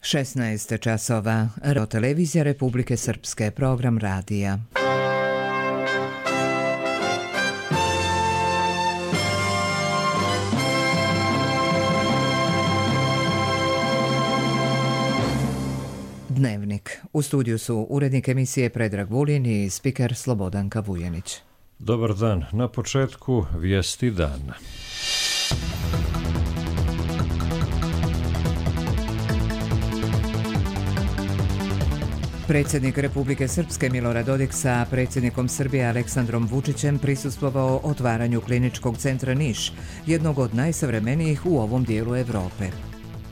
16 časova. Televizija Republike Srpske, program radija. Dnevnik. U studiju su urednik emisije Predrag Vulin i spiker Slobodanka Vujanić. Dobar dan. Na početku vijesti dana. Predsjednik Republike Srpske Milorad Dodik sa predsjednikom Srbije Aleksandrom Vučićem prisustvovao otvaranju kliničkog centra Niš, jednog od najsavremenijih u ovom dijelu Evrope.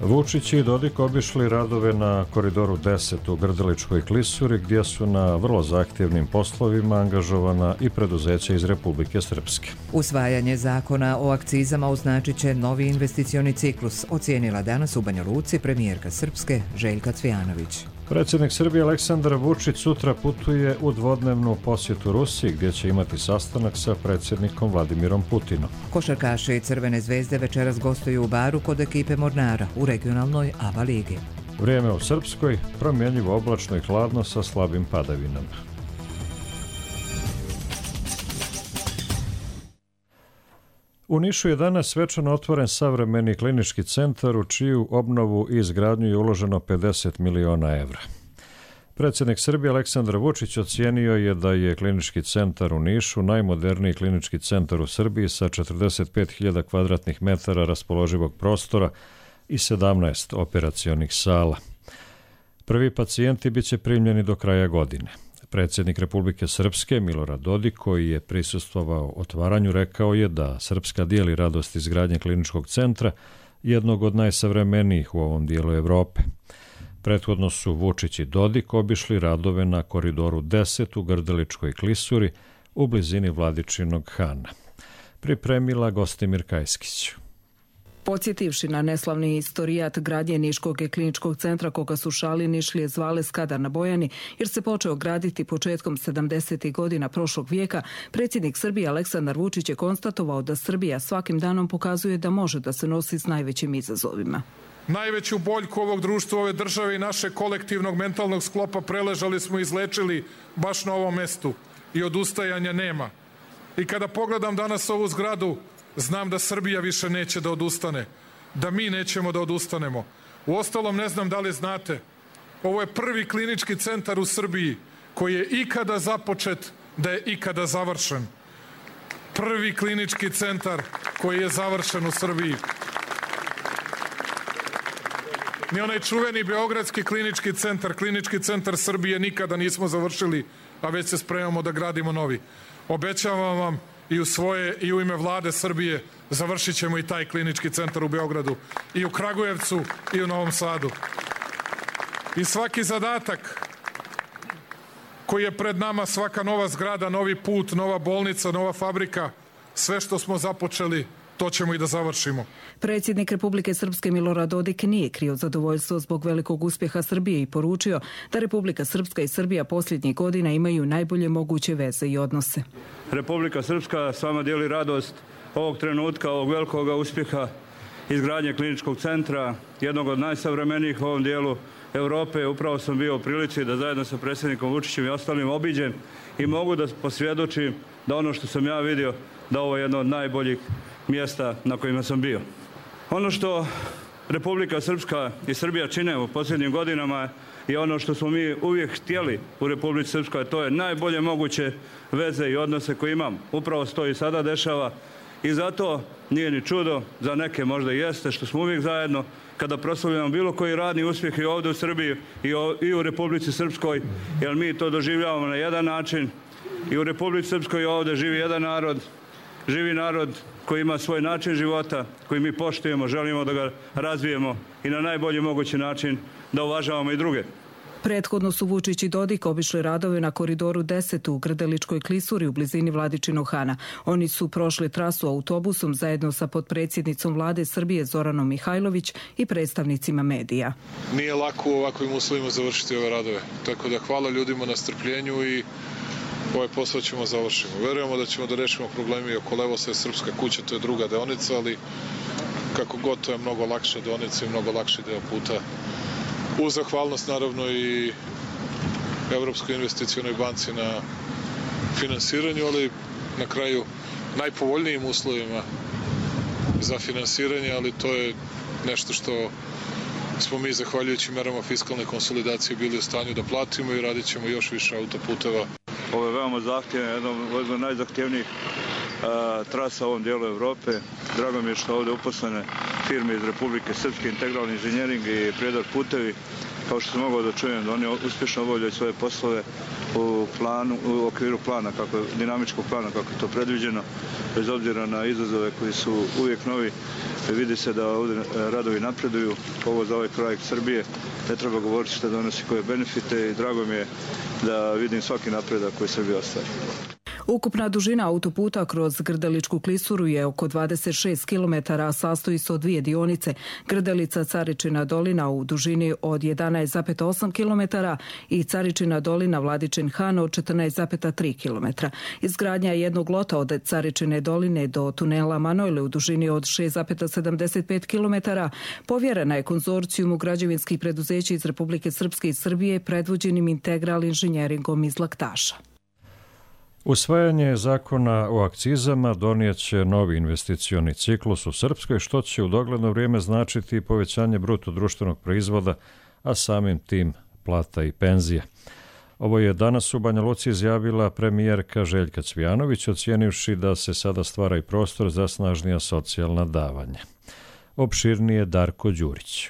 Vučić i Dodik obišli radove na Koridoru 10 u Grdeličkoj klisuri, gdje su na vrlo zahtjevnim poslovima angažovana i preduzeća iz Republike Srpske. Usvajanje zakona o akcizama označit će novi investicioni ciklus, ocijenila danas u Banja Luci premijerka Srpske Željka Cvijanović. Predsjednik Srbije Aleksandar Vučić sutra putuje u dvodnevnu posjetu Rusiji, gdje će imati sastanak sa predsjednikom Vladimirom Putinom. Košarkaši Crvene zvezde večeras gostuju u Baru kod ekipe Mornara u regionalnoj ABA ligi. Vrijeme u Srpskoj promjenjivo, oblačno i hladno sa slabim padavinama. U Nišu je danas svečano otvoren savremeni klinički centar u čiju obnovu i izgradnju je uloženo 50 miliona evra. Predsjednik Srbije Aleksandar Vučić ocijenio je da je klinički centar u Nišu najmoderniji klinički centar u Srbiji sa 45.000 kvadratnih metara raspoloživog prostora i 17 operacionih sala. Prvi pacijenti bit će primljeni do kraja godine. Predsjednik Republike Srpske Milorad Dodik, koji je prisustvovao otvaranju, rekao je da Srpska dijeli radost izgradnje kliničkog centra, jednog od najsavremenijih u ovom dijelu Evrope. Prethodno su Vučić i Dodik obišli radove na Koridoru 10 u Grdeličkoj klisuri u blizini Vladičinog Hana. Pripremila Gostimir Kajskić. Podsjetivši na neslavni istorijat gradnje Niškog kliničkog centra koga su šali Nišlije zvale Skadar na Bojani, jer se počeo graditi početkom 70. godina prošlog vijeka, predsjednik Srbije Aleksandar Vučić je konstatovao da Srbija svakim danom pokazuje da može da se nosi s najvećim izazovima. Najveću boljku ovog društva, ove države i našeg kolektivnog mentalnog sklopa preležali smo i izlečili baš na ovom mestu i odustajanja nema. I kada pogledam danas ovu zgradu, znam da Srbija više neće da odustane, da mi nećemo da odustanemo. Uostalom, ne znam da li znate, ovo je prvi klinički centar u Srbiji koji je ikada započet, da je ikada završen. Prvi klinički centar koji je završen u Srbiji. Ni onaj čuveni beogradski klinički centar Srbije nikada nismo završili, a već se spremamo da gradimo novi. Obećavam vam i u svoje i u ime Vlade Srbije završit ćemo i taj klinički centar u Beogradu, i u Kragujevcu i u Novom Sadu. I svaki zadatak koji je pred nama, svaka nova zgrada, novi put, nova bolnica, nova fabrika, sve što smo započeli, to ćemo i da završimo. Predsjednik Republike Srpske Milorad Dodik nije krio zadovoljstvo zbog velikog uspjeha Srbije i poručio da Republika Srpska i Srbija posljednjih godina imaju najbolje moguće veze i odnose. Republika Srpska s vama dijeli radost ovog trenutka, ovog velikog uspjeha izgradnje kliničkog centra, jednog od najsavremenijih u ovom dijelu Europe. Upravo sam bio u prilici da zajedno sa predsjednikom Vučićem i ostalim obiđem i mogu da posvjedočim da ono što sam ja vidio, da ovo je jedno od najboljih mjesta na kojima sam bio. Ono što Republika Srpska i Srbija čine u posljednjim godinama je ono što smo mi uvijek htjeli u Republici Srpskoj, to je najbolje moguće veze i odnose koje imamo. Upravo se to i sada dešava i zato nije ni čudo, za neke možda jeste, što smo uvijek zajedno kada proslavljamo bilo koji radni uspjeh i ovdje u Srbiji i u Republici Srpskoj, jer mi to doživljavamo na jedan način. I u Republici Srpskoj ovdje živi jedan narod koji ima svoj način života, koji mi poštujemo, želimo da ga razvijemo i na najbolji mogući način da uvažavamo i druge. Prethodno su Vučić i Dodik obišli radove na Koridoru 10 u Grdeličkoj klisuri u blizini Vladičinog Hana. Oni su prošli trasu autobusom zajedno sa potpredsjednicom Vlade Srbije Zoranom Mihajlović i predstavnicima medija. Nije lako u ovakvim uslovima završiti ove radove, tako da hvala ljudima na strpljenju i ovaj posao ćemo završiti. Verujemo da ćemo da rešimo problemi oko Levosa i Srpska kuća, to je druga deonica, ali kako god to je mnogo lakša deonica i mnogo lakši deo puta Uz zahvalnost naravno i Evropskoj investicionoj banci na finansiranju, ali na kraju najpovoljnijim uslovima za finansiranje, ali to je nešto što smo mi zahvaljujući merama fiskalne konsolidacije bili u stanju da platimo i radit ćemo još više autoputeva. Ovo je veoma zahtjevno, jedna od najzahtjevnijih trasa u ovom dijelu Evrope. Drago mi je što ovdje uposlene firme iz Republike Srpske, Integralni inženjering i Prijedor putevi. Kao što sam mogao da čujem da oni uspješno obavljaju svoje poslove u okviru plana, dinamičkog plana kako je to predviđeno, bez obzira na izazove koji su uvijek novi. Vidi se da ovdje radovi napreduju, ovo za ovaj kraj Srbije. Ne treba govoriti što donosi koje benefite i drago mi je da vidim svaki napredak koji Srbija ostvari. Ukupna dužina autoputa kroz Grdeličku klisuru je oko 26 km, a sastoji se od dvije dionice, Grdelica Caričina dolina u dužini od 11,8 km i Caričina dolina Vladičin Han od 14,3 km. Izgradnja jednog lota od Caričine doline do tunela Manojle u dužini od 6,75 km povjerena je konzorcijumu građevinskih preduzeća iz Republike Srpske i Srbije predvođenim Integral inženjeringom iz Laktaša. Usvajanje zakona o akcizama donijet će novi investicioni ciklus u Srpskoj, što će u dogledno vrijeme značiti povećanje bruto društvenog proizvoda, a samim tim plata i penzija. Ovo je danas u Banja Luci izjavila premijerka Željka Cvijanović, ocijenivši da se sada stvara i prostor za snažnija socijalna davanja. Opširnije Darko Đurić.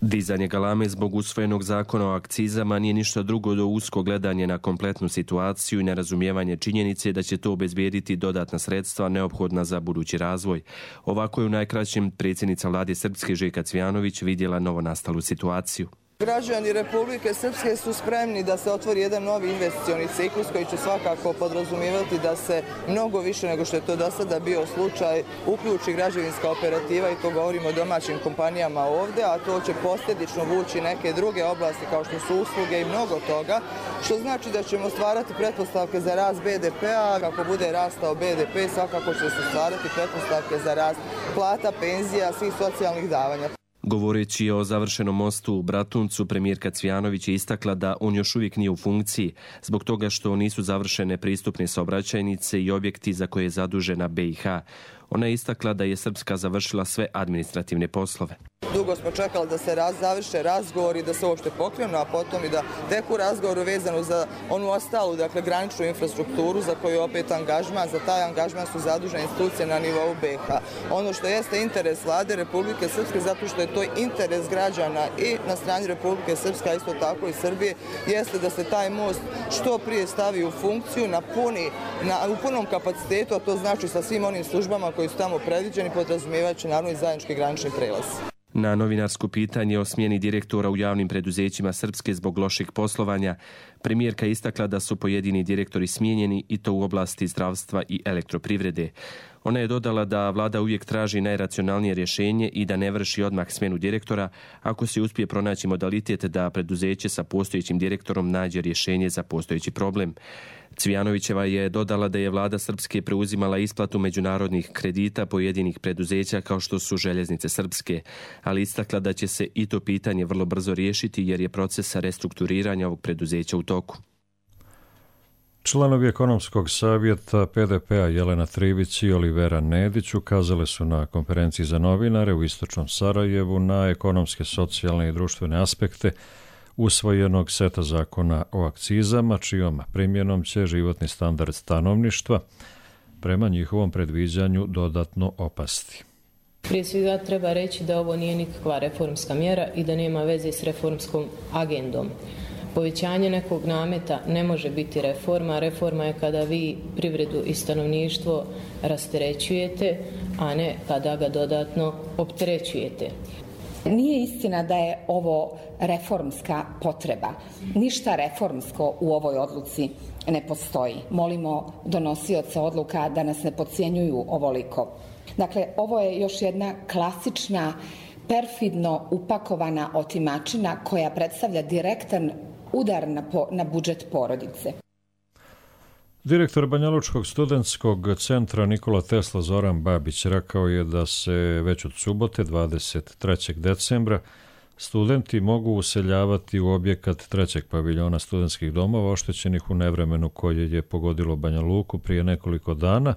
Dizanje galame zbog usvojenog zakona o akcizama nije ništa drugo do usko gledanje na kompletnu situaciju i nerazumijevanje činjenice da će to obezbijediti dodatna sredstva neophodna za budući razvoj. Ovako je u najkraćem predsjednica vlade Srpske Željka Cvijanović vidjela novonastalu situaciju. Građani Republike Srpske su spremni da se otvori jedan novi investicioni ciklus koji će svakako podrazumijevati da se mnogo više nego što je to do sada bio slučaj uključi građevinska operativa, i to govorimo o domaćim kompanijama ovdje, a to će posljedično vući neke druge oblasti kao što su usluge i mnogo toga, što znači da ćemo stvarati pretpostavke za rast BDP-a. Kako bude rastao BDP, svakako će se stvarati pretpostavke za rast plata, penzija, svih socijalnih davanja. Govoreći o završenom mostu u Bratuncu, premijerka Cvijanović je istakla da on još uvijek nije u funkciji, zbog toga što nisu završene pristupne saobraćajnice i objekti za koje je zadužena BiH. Ona je istakla da je Srpska završila sve administrativne poslove. Dugo smo čekali da se završe razgovori, da se uopšte pokrenu, a potom i da teku razgovoru vezanu za onu ostalu, dakle, graničnu infrastrukturu za koju je opet angažman. Za taj angažman su zadužene institucije na nivou BiH. Ono što jeste interes vlade Republike Srpske, zato što je to interes građana i na strani Republike Srpske, a isto tako i Srbije, jeste da se taj most što prije stavi u funkciju u punom kapacitetu, a to znači sa svim onim službama koji su tamo predviđeni, podrazumijevajući naravno i zajednički granični prelaz. Na novinarsko pitanje o smjeni direktora u javnim preduzećima Srpske zbog lošeg poslovanja, premijerka istakla da su pojedini direktori smijenjeni i to u oblasti zdravstva i elektroprivrede. Ona je dodala da vlada uvijek traži najracionalnije rješenje i da ne vrši odmah smjenu direktora ako se uspije pronaći modalitet da preduzeće sa postojećim direktorom nađe rješenje za postojeći problem. Cvijanovićeva je dodala da je vlada Srpske preuzimala isplatu međunarodnih kredita pojedinih preduzeća kao što su Željeznice Srpske, ali istakla da će se i to pitanje vrlo brzo riješiti jer je proces restrukturiranja ovog preduzeća u toku. Članovi ekonomskog savjeta PDP-a Jelena Trivić i Olivera Nedić ukazale su na konferenciji za novinare u istočnom Sarajevu na ekonomske, socijalne i društvene aspekte usvojenog seta zakona o akcizama, čijom primjenom će životni standard stanovništva prema njihovom predviđanju dodatno opasti. Prije svega treba reći da ovo nije nikakva reformska mjera i da nema veze s reformskom agendom. Povećanje nekog nameta ne može biti reforma. Reforma je kada vi privredu i stanovništvo rasterećujete, a ne kada ga dodatno opterećujete. Nije istina da je ovo reformska potreba. Ništa reformsko u ovoj odluci ne postoji. Molimo donosioce odluka da nas ne podcjenjuju ovoliko. Dakle, ovo je još jedna klasična, perfidno upakovana otimačina koja predstavlja direktan udar na budžet porodice. Direktor Banjalučkog studentskog centra Nikola Tesla Zoran Babić rekao je da se već od subote 23. decembra Studenti mogu useljavati u objekat trećeg paviljona studentskih domova oštećenih u nevremenu koje je pogodilo Banja Luku prije nekoliko dana,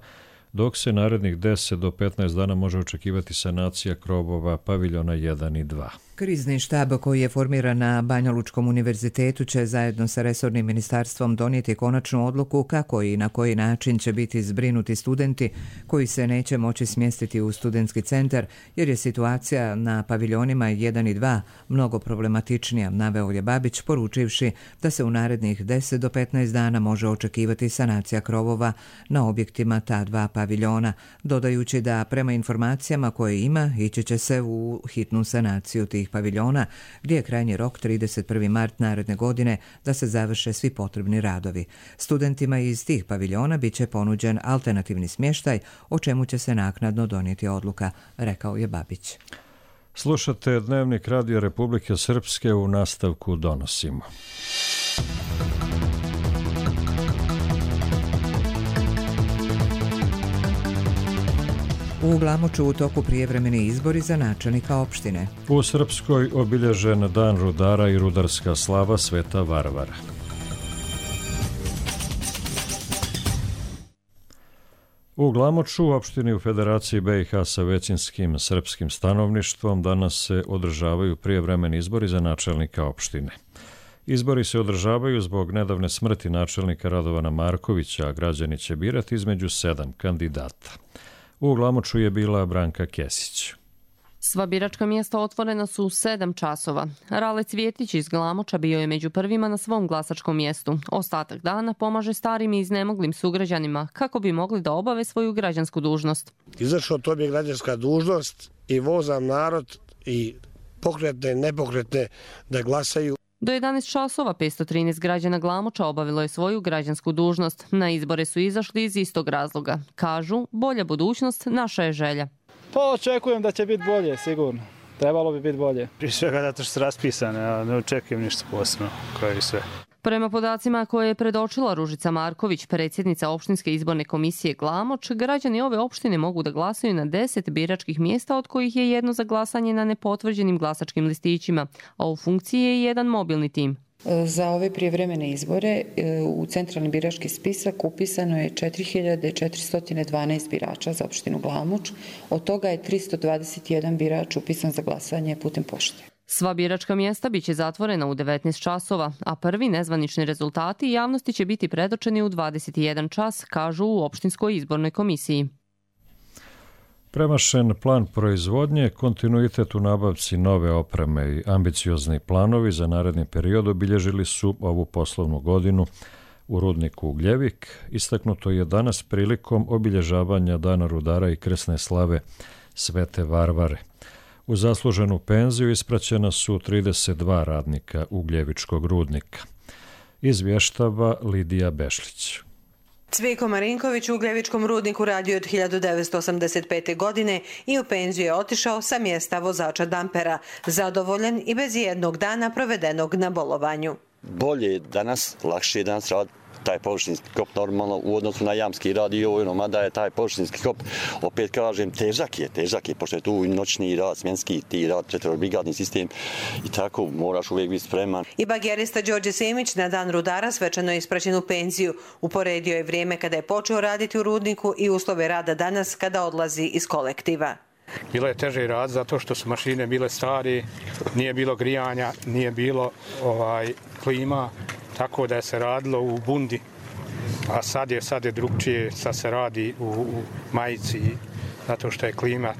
dok se narednih 10 do 15 dana može očekivati sanacija krovova paviljona 1 i 2. Krizni štab koji je formiran na Banja Lučkom univerzitetu će zajedno sa resornim ministarstvom donijeti konačnu odluku kako i na koji način će biti zbrinuti studenti koji se neće moći smjestiti u studentski centar jer je situacija na paviljonima 1 i 2 mnogo problematičnija, naveo je Babić poručivši da se u narednih 10 do 15 dana može očekivati sanacija krovova na objektima ta dva paviljona, dodajući da prema informacijama koje ima ići će se u hitnu sanaciju tih paviljona, gdje je krajnji rok 31. mart naredne godine da se završe svi potrebni radovi. Studentima iz tih paviljona bit će ponuđen alternativni smještaj, o čemu će se naknadno donijeti odluka, rekao je Babić. Slušate Dnevnik Radija Republike Srpske, u nastavku donosimo. U Glamoču u toku prijevremeni izbori za načelnika opštine. U Srpskoj obilježen Dan rudara i rudarska slava Sveta Varvara. U Glamoču, opštini u Federaciji BiH sa većinskim srpskim stanovništvom, danas se održavaju prijevremeni izbori za načelnika opštine. Izbori se održavaju zbog nedavne smrti načelnika Radovana Markovića, a građani će birati između 7 kandidata. U Glamoču je bila Branka Kesić. Sva biračka mjesta otvorena su u 7 časova. Rale Cvjetić iz Glamoča bio je među prvima na svom glasačkom mjestu. Ostatak dana pomaže starim i iznemoglim sugrađanima kako bi mogli da obave svoju građansku dužnost. Izašao to bi građanska dužnost i vozam narod i pokretne i nepokretne da glasaju. Do 11 časova 513 građana Glamoča obavilo je svoju građansku dužnost. Na izbore su izašli iz istog razloga. Kažu, bolja budućnost naša je želja. Pa očekujem da će biti bolje, sigurno. Trebalo bi biti bolje. Prije svega zato što su raspisane, a ne očekujem ništa posebno, kao i sve. Prema podacima koje je predočila Ružica Marković, predsjednica opštinske izborne komisije Glamoč, građani ove opštine mogu da glasaju na 10 biračkih mjesta, od kojih je jedno za glasanje na nepotvrđenim glasačkim listićima, a u funkciji je jedan mobilni tim. Za ove prijevremene izbore u centralni birački spisak upisano je 4412 birača za opštinu Glamoč, od toga je 321 birač upisan za glasanje putem pošte. Sva biračka mjesta biće zatvorena u 19 časova, a prvi nezvanični rezultati javnosti će biti predočeni u 21 čas, kažu u opštinskoj izbornoj komisiji. Premašen plan proizvodnje, kontinuitet u nabavci nove opreme i ambiciozni planovi za naredni period obilježili su ovu poslovnu godinu u rudniku Ugljevik. Istaknuto je danas prilikom obilježavanja Dana rudara i krsne slave Svete Varvare. U zasluženu penziju ispraćena su 32 radnika Ugljevičkog rudnika. Izvještava Lidija Bešlić. Cvijko Marinković u Ugljevičkom rudniku radio od 1985. godine i u penziju je otišao sa mjesta vozača dampera, zadovoljan i bez jednog dana provedenog na bolovanju. Bolje je danas, lakše je danas raditi. Taj površinski kop normalno u odnosu na jamski rad i ovo, mada je taj površinski kop, opet kažem, težak je, pošto je tu noćni rad, smjenski ti rad, četvorobrigadni sistem i tako moraš uvijek biti spreman. I bagerista Đorđe Semić na Dan rudara svečano je ispraćen u penziju. Uporedio je vrijeme kada je počeo raditi u rudniku i uslove rada danas kada odlazi iz kolektiva. Bilo je teže rad zato što su mašine bile stari, nije bilo grijanja, nije bilo klima, tako da je se radilo u bundi. A sad je drugčije, sad se radi u majici zato što je klima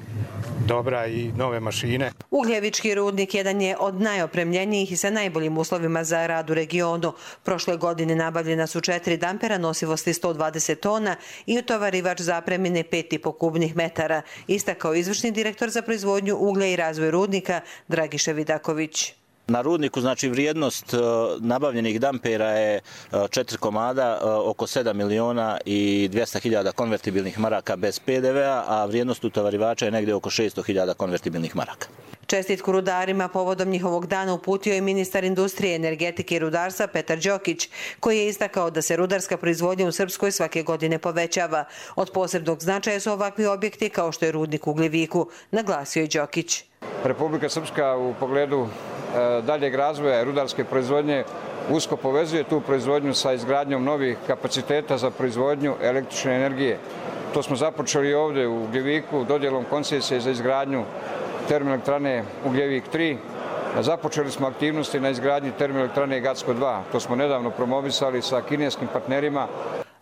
dobra i nove mašine. Ugljevički rudnik jedan je od najopremljenijih i sa najboljim uslovima za rad u regionu. Prošle godine nabavljena su 4 dampera nosivosti 120 tona i utovarivač zapremine 5,5 kubnih metara, istakao izvršni direktor za proizvodnju uglja i razvoj rudnika Dragiša Vidaković. Na rudniku, znači, vrijednost nabavljenih dampera je 4 komada, oko 7 miliona i 200.000 konvertibilnih maraka bez PDV-a, a vrijednost utovarivača je negdje oko 600.000 konvertibilnih maraka. Čestitku rudarima povodom njihovog dana uputio je ministar industrije, energetike i rudarstva Petar Đokić, koji je istakao da se rudarska proizvodnja u Srpskoj svake godine povećava. Od posebnog značaja su ovakvi objekti kao što je rudnik u Ugljeviku, naglasio je Đokić. Republika Srpska u pogledu daljeg razvoja rudarske proizvodnje usko povezuje tu proizvodnju sa izgradnjom novih kapaciteta za proizvodnju električne energije. To smo započeli ovdje u Ugljeviku dodjelom koncesije za izgradnju termoelektrane Ugljevik 3. Započeli smo aktivnosti na izgradnji termoelektrane Gacko 2. To smo nedavno promovisali sa kineskim partnerima.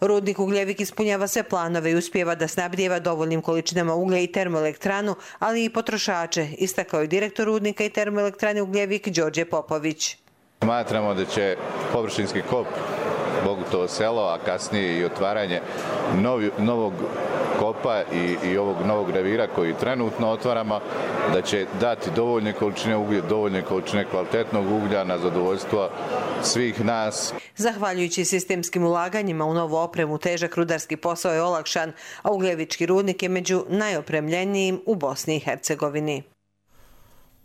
Rudnik Ugljevik ispunjava sve planove i uspijeva da snabdijeva dovoljnim količinama uglja i termoelektranu, ali i potrošače, istakao je direktor rudnika i termoelektrane Ugljevik Đorđe Popović. Smatramo da će površinski kop Bogutovo selo, a kasnije i otvaranje novog kopa i ovog novog revira koji trenutno otvaramo, da će dati dovoljne količine uglja, dovoljne količine kvalitetnog uglja na zadovoljstvo svih nas. Zahvaljujući sistemskim ulaganjima u novu opremu, težak rudarski posao je olakšan, a Ugljevički rudnik je među najopremljenijim u Bosni i Hercegovini.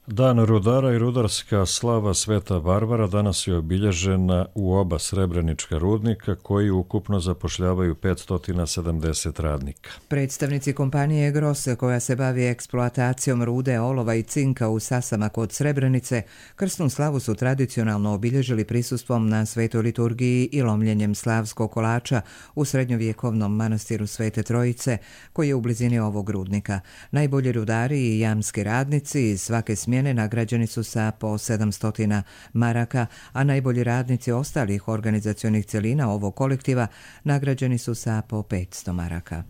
Dan rudara i rudarska slava Sveta Varvara danas je obilježena u oba srebrenička rudnika koji ukupno zapošljavaju 570 radnika. Predstavnici kompanije Gros, koja se bavi eksploatacijom rude, olova i cinka u Sasama kod Srebrenice, krsnu slavu su tradicionalno obilježili prisustvom na svetoj liturgiji i lomljenjem slavskog kolača u srednjovjekovnom manastiru Svete Trojice, koji je u blizini ovog rudnika. Najbolji rudari i jamski radnici iz svake smjene nagrađeni su sa po 700 maraka, a najbolji radnici ostalih organizacionih celina ovog kolektiva nagrađeni su sa po 500 maraka.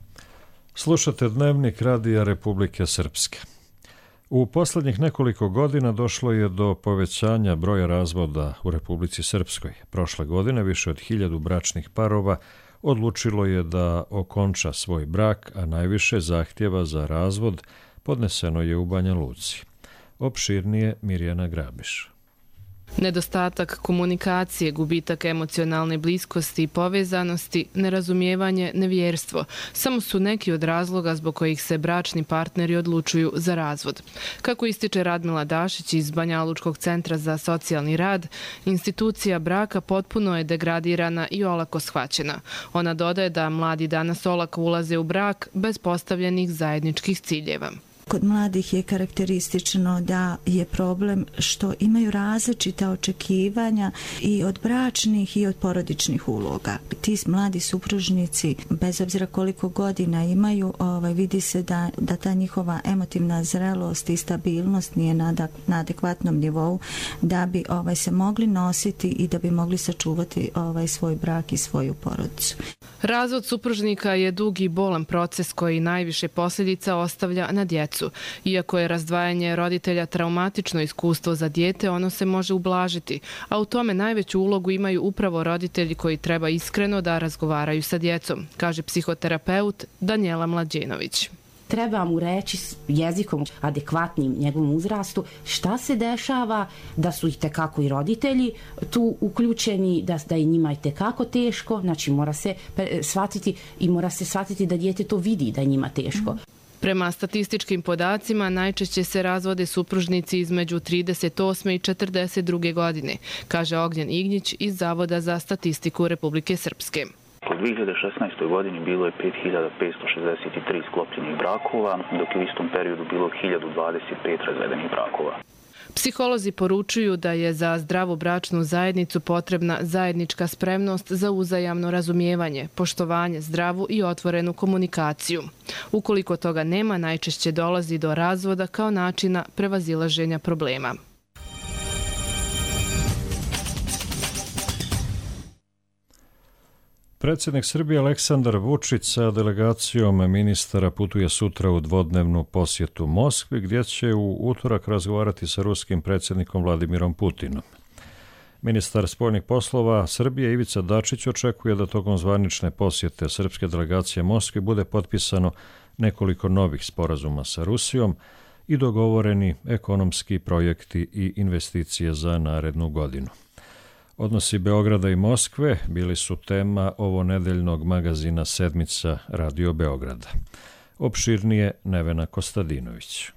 Slušate Dnevnik Radija Republike Srpske. U posljednjih nekoliko godina došlo je do povećanja broja razvoda u Republici Srpskoj. Prošle godine više od 1000 bračnih parova odlučilo je da okonča svoj brak, a najviše zahtjeva za razvod podneseno je u Banja Luci. Opširnije Mirjana Grabiš. Nedostatak komunikacije, gubitak emocionalne bliskosti i povezanosti, nerazumijevanje, nevjerstvo samo su neki od razloga zbog kojih se bračni partneri odlučuju za razvod. Kako ističe Radmila Dašić iz Banjalučkog centra za socijalni rad, institucija braka potpuno je degradirana i olako shvaćena. Ona dodaje da mladi danas olako ulaze u brak bez postavljenih zajedničkih ciljeva. Kod mladih je karakteristično da je problem što imaju različita očekivanja i od bračnih i od porodičnih uloga. Ti mladi supružnici, bez obzira koliko godina imaju, vidi se da ta njihova emotivna zrelost i stabilnost nije na adekvatnom nivou da bi se mogli nositi i da bi mogli sačuvati svoj brak i svoju porodicu. Razvod supružnika je dug i bolan proces koji najviše posljedica ostavlja na djecu. Iako je razdvajanje roditelja traumatično iskustvo za dijete, ono se može ublažiti, a u tome najveću ulogu imaju upravo roditelji koji treba iskreno da razgovaraju sa djecom, kaže psihoterapeut Danijela Mlađenović. Treba mu reći jezikom adekvatnim njegovom uzrastu šta se dešava, da su itekako i roditelji tu uključeni, da je njima itekako teško, znači mora se shvatiti da dijete to vidi da je njima teško. Prema statističkim podacima, najčešće se razvode supružnici između 38. i 42. godine, kaže Ognjen Ignjić iz Zavoda za statistiku Republike Srpske. U 2016. godini bilo je 5563 sklopljenih brakova, dok je u istom periodu bilo 1025 razvedenih brakova. Psiholozi poručuju da je za zdravu bračnu zajednicu potrebna zajednička spremnost za uzajamno razumijevanje, poštovanje, zdravu i otvorenu komunikaciju. Ukoliko toga nema, najčešće dolazi do razvoda kao načina prevazilaženja problema. Predsjednik Srbije Aleksandar Vučić sa delegacijom ministara putuje sutra u dvodnevnu posjetu Moskvi, gdje će u utorak razgovarati sa ruskim predsjednikom Vladimirom Putinom. Ministar spoljnih poslova Srbije Ivica Dačić očekuje da tokom zvanične posjete srpske delegacije Moskvi bude potpisano nekoliko novih sporazuma sa Rusijom i dogovoreni ekonomski projekti i investicije za narednu godinu. Odnosi Beograda i Moskve bili su tema ovonedeljnog magazina Sedmica Radio Beograda. Opširnije Nevena Kostadinović.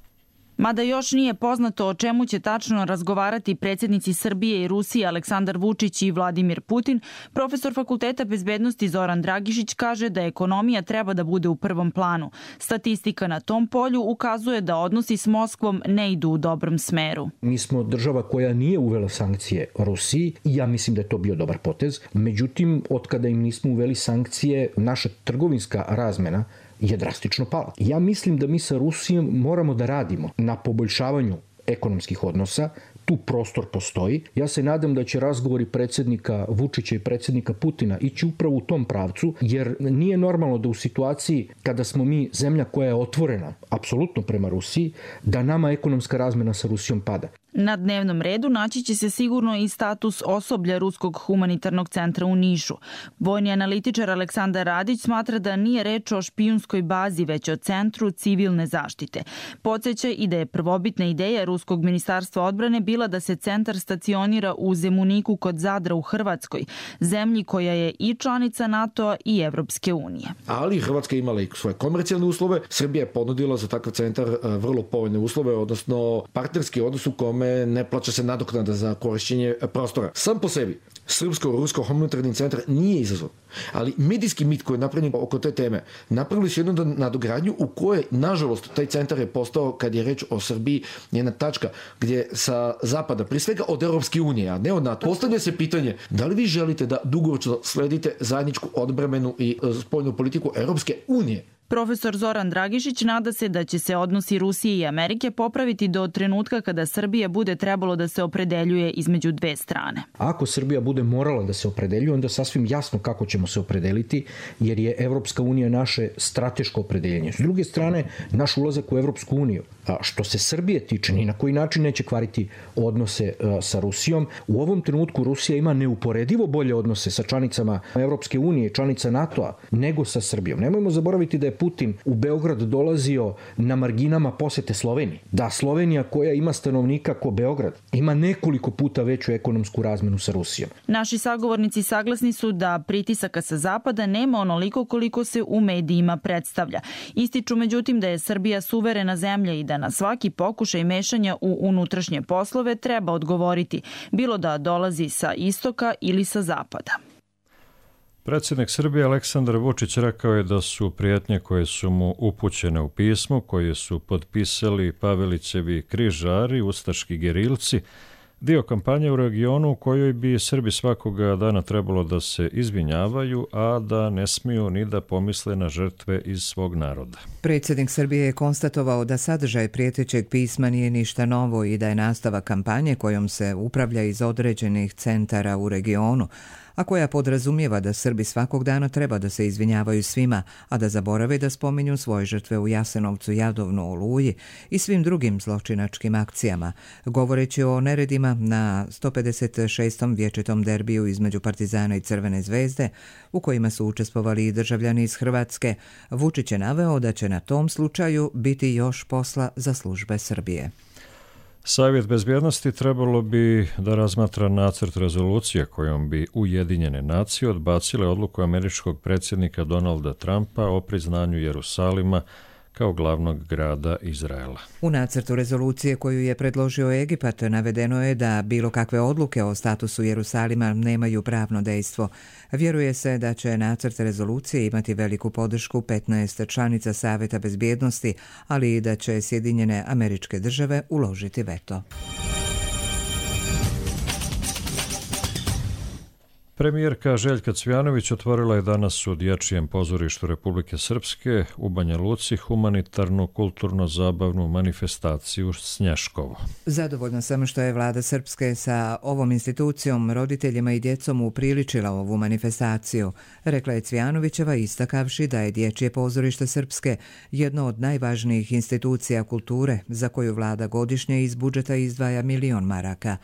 Mada još nije poznato o čemu će tačno razgovarati predsjednici Srbije i Rusije Aleksandar Vučić i Vladimir Putin, profesor Fakulteta bezbednosti Zoran Dragišić kaže da ekonomija treba da bude u prvom planu. Statistika na tom polju ukazuje da odnosi s Moskvom ne idu u dobrom smeru. Mi smo država koja nije uvela sankcije Rusiji i ja mislim da je to bio dobar potez. Međutim, otkada im nismo uveli sankcije, naša trgovinska razmena je drastično pala. Ja mislim da mi sa Rusijom moramo da radimo na poboljšavanju ekonomskih odnosa. Tu prostor postoji. Ja se nadam da će razgovori predsjednika Vučića i predsjednika Putina ići upravo u tom pravcu, jer nije normalno da u situaciji kada smo mi zemlja koja je otvorena apsolutno prema Rusiji, da nama ekonomska razmena sa Rusijom pada. Na dnevnom redu naći će se sigurno i status osoblja Ruskog humanitarnog centra u Nišu. Vojni analitičar Aleksandar Radić smatra da nije reč o špijunskoj bazi, već o centru civilne zaštite. Podsjeća i da je prvobitna ideja Ruskog ministarstva odbrane bila da se centar stacionira u Zemuniku kod Zadra u Hrvatskoj, zemlji koja je i članica NATO-a i Evropske unije. Ali Hrvatska je imala i svoje komercijalne uslove. Srbija je ponudila za takav centar vrlo povoljne uslove, odnosno partnerski odnos u kome ne plaća se nadoknada za korišćenje prostora. Sam po sebi Srpsko-Rusko humanitarni centar nije izazov, ali medijski mit koji je napravljen oko te teme napravili su jednu nadogradnju u kojoj, nažalost, taj centar je postao, kad je reč o Srbiji, jedna tačka gdje sa zapada, prije svega od Europske unije, a ne od NATO, postavlja se pitanje da li vi želite da dugoročno sledite zajedničku odbrambenu i spoljnu politiku Europske unije. Profesor Zoran Dragišić nada se da će se odnosi Rusije i Amerike popraviti do trenutka kada Srbija bude trebalo da se opredeljuje između dve strane. Ako Srbija bude morala da se opredeljuje, onda sasvim jasno kako ćemo se opredeliti, jer je Evropska unija naše strateško opredeljenje. S druge strane, naš ulazak u Evropsku uniju, što se Srbije tiče, ni na koji način neće kvariti odnose sa Rusijom. U ovom trenutku Rusija ima neuporedivo bolje odnose sa članicama Evropske unije, članica NATO-a, nego sa Srbijom. Nemojmo zaboraviti da je Putin u Beograd dolazio na marginama posete Sloveniji. Da Slovenija, koja ima stanovnika ko Beograd, ima nekoliko puta veću ekonomsku razmenu sa Rusijom. Naši sagovornici saglasni su da pritisaka sa zapada nema onoliko koliko se u medijima predstavlja. Ističu međutim da je Srbija suverena zemlja i da na svaki pokušaj mešanja u unutrašnje poslove treba odgovoriti, bilo da dolazi sa istoka ili sa zapada. Predsjednik Srbije Aleksandar Vučić rekao je da su prijetnje koje su mu upućene u pismu, koje su potpisali Pavelićevi križari, ustaški gerilci, dio kampanje u regionu u kojoj bi Srbi svakoga dana trebalo da se izvinjavaju, a da ne smiju ni da pomisle na žrtve iz svog naroda. Predsjednik Srbije je konstatovao da sadržaj prijetećeg pisma nije ništa novo i da je nastavak kampanje kojom se upravlja iz određenih centara u regionu, a koja podrazumijeva da Srbi svakog dana treba da se izvinjavaju svima, a da zaborave da spominju svoje žrtve u Jasenovcu, Jadovnu, Oluji i svim drugim zločinačkim akcijama, govoreći o neredima na 156. vječitom derbiju između Partizana i Crvene zvezde, u kojima su učestvovali i državljani iz Hrvatske. Vučić je naveo da će na tom slučaju biti još posla za službe Srbije. Savjet bezbjednosti trebalo bi da razmatra nacrt rezolucije kojom bi Ujedinjene nacije odbacile odluku američkog predsjednika Donalda Trumpa o priznanju Jerusalima kao glavnog grada Izraela. U nacrtu rezolucije koju je predložio Egipat navedeno je da bilo kakve odluke o statusu Jerusalima nemaju pravno dejstvo. Vjeruje se da će nacrt rezolucije imati veliku podršku 15 članica Savjeta bezbjednosti, ali i da će Sjedinjene Američke Države uložiti veto. Premijerka Željka Cvjanović otvorila je danas u Dječjem pozorištu Republike Srpske u Banja Luci humanitarnu kulturno-zabavnu manifestaciju Snješkovo. Zadovoljna sam što je vlada Srpske sa ovom institucijom, roditeljima i djecom upriličila ovu manifestaciju, rekla je Cvjanovićeva istakavši da je Dječje pozorište Srpske jedno od najvažnijih institucija kulture za koju vlada godišnje iz budžeta izdvaja 1 milion maraka.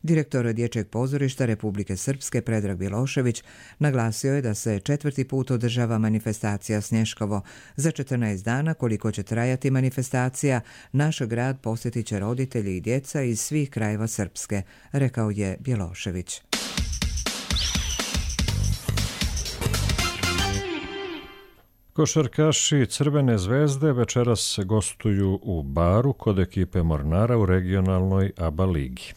Direktor Dječjeg pozorišta Republike Srpske Predrag Bilošević naglasio je da se 4. put održava manifestacija Snješkovo. Za 14 dana koliko će trajati manifestacija, naš grad posjetit će roditelji i djeca iz svih krajeva Srpske, rekao je Bilošević. Košarkaši Crvene zvezde večeras gostuju u Baru kod ekipe Mornara u regionalnoj ABA ligi.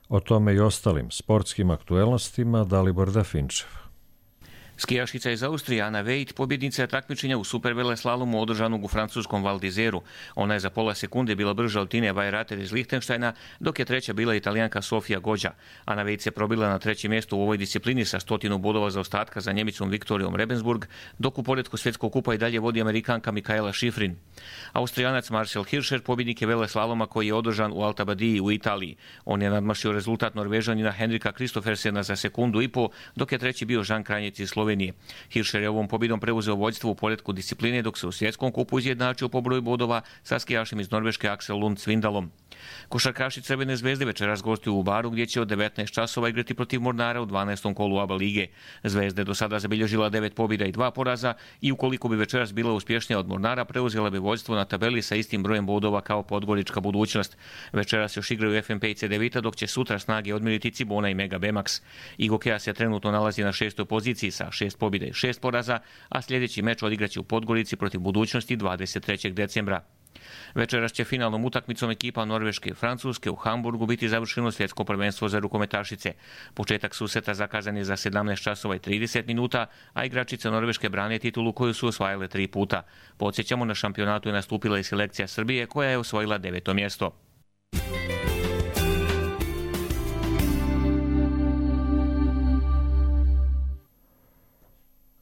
O tome i ostalim sportskim aktuelnostima Dalibor Dafinčev. Skijašica iz Austrije Ana Veit pobjednica je takmičenja u superveleslalomu održanog u francuskom Val d'Isèru. Ona je za pola sekunde bila brža od Tine Weirater iz Lichtensteina, dok je treća bila Italijanka Sofia Goggia. Ana Veit se probila na treće mjesto u ovoj disciplini sa 100 bodova zaostatka za Njemicom Viktorijom Rebensburg, dok u poretku svjetskog kupa i dalje vodi Amerikanka Mikaela Schifrin. Austrijanac Marcel Hirscher pobjednik je veleslaloma koji je održan u Alta Badiji u Italiji. On je nadmašio rezultat Norvežanina Henrika Kristofersena za sekundu i po, dok je treći bio Žan Kranjec iz Slovenije. Hirscher je ovom pobjedom preuzeo vođstvo u poretku discipline, dok se u svjetskom kupu izjednačio po broju bodova sa skijašem iz Norveške Aksel Lund Svindalom. Košarkaši Crvene zvezde večeras gostuju u Baru gdje će od 19 časova igrati protiv Mornara u 12. kolu ABA lige. Zvezda je do sada zabilježila 9 pobjeda i 2 poraza i ukoliko bi večeras bila uspješnija od Mornara, preuzela bi vođstvo na tabeli sa istim brojem bodova kao Podgorička Budućnost. Večeras još igraju FNP i CDVita, dok će sutra snage odmiriti Cibona i Mega Bemax. Igokeja se trenutno nalazi na 6. poziciji sa 6 pobjeda i 6 poraza, a sljedeći meč odigraće u Podgorici protiv Budućnosti 23. decembra. Večeras će finalnom utakmicom ekipa Norveške i Francuske u Hamburgu biti završeno svjetsko prvenstvo za rukometašice. Početak susreta zakazan je za 17 časova i 30 minuta, a igračice Norveške brane titulu koju su osvajale 3 puta. Podsjećamo, na šampionatu je nastupila i selekcija Srbije koja je osvojila 9. mjesto.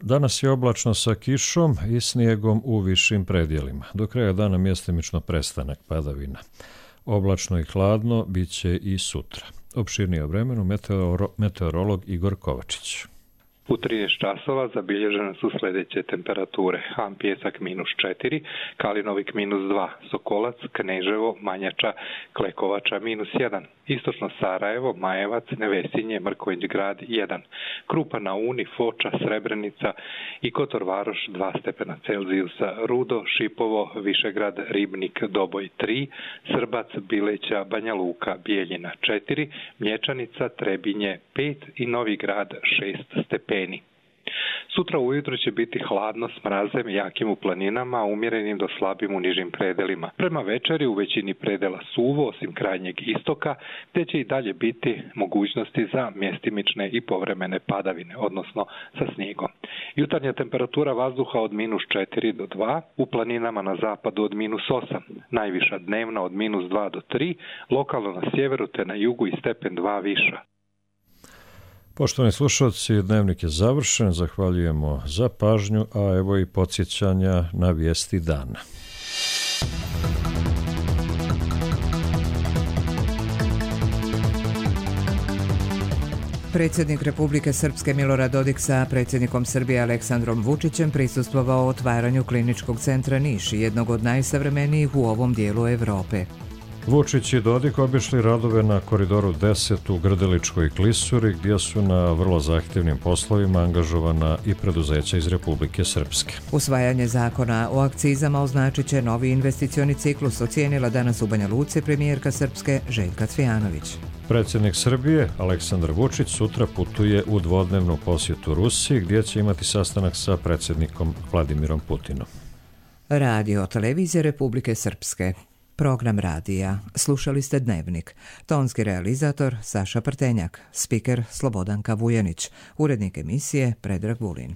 Danas je oblačno sa kišom i snijegom u višim predjelima. Do kraja dana mjestimično prestanak padavina. Oblačno i hladno bit će i sutra. Opširnije o vremenu meteorolog Igor Kovačić. U 13 časova zabilježene su sljedeće temperature. Han Pjesak -4, Kalinovik -2, Sokolac, Kneževo, Manjača, Klekovača -1, Istočno Sarajevo, Majevac, Nevesinje, Mrkonjić Grad 1, Krupa na Uni, Foča, Srebrenica i Kotor Varoš 2 stepena Celzijusa, Rudo, Šipovo, Višegrad, Ribnik, Doboj 3, Srbac, Bileća, Banja Luka, Bijeljina 4, Mlječanica, Trebinje 5 i Novi Grad 6 stepeni. Sutra ujutro će biti hladno s mrazem jakim u planinama, umjerenim do slabim u nižim predelima. Prema večeri u većini predela suvo, osim krajnjeg istoka, te će i dalje biti mogućnosti za mjestimične i povremene padavine, odnosno sa snijegom. Jutarnja temperatura vazduha od -4 do 2, u planinama na zapadu od -8, najviša dnevna od -2 do 3, lokalno na sjeveru te na jugu i stepen 2 viša. Poštovani slušalci, dnevnik je završen, zahvaljujemo za pažnju, a evo i podsjećanja na vijesti dana. Predsjednik Republike Srpske Milorad Dodik sa predsjednikom Srbije Aleksandrom Vučićem prisustvovao otvaranju kliničkog centra Niš, jednog od najsavremenijih u ovom dijelu Evrope. Vučić i Dodik obišli radove na koridoru 10 u Grdeličkoj klisuri, gdje su na vrlo zahtjevnim poslovima angažovana i preduzeća iz Republike Srpske. Usvajanje zakona o akcizama označit će novi investicioni ciklus, ocijenila danas u Banja Luci premijerka Srpske Željka Cvijanović. Predsjednik Srbije Aleksandar Vučić sutra putuje u dvodnevnu posjetu Rusiji, gdje će imati sastanak sa predsjednikom Vladimirom Putinom. Radio televizije Republike Srpske. Program radija. Slušali ste Dnevnik. Tonski realizator Saša Prtenjak. Spiker Slobodanka Vujanić. Urednik emisije Predrag Vulin.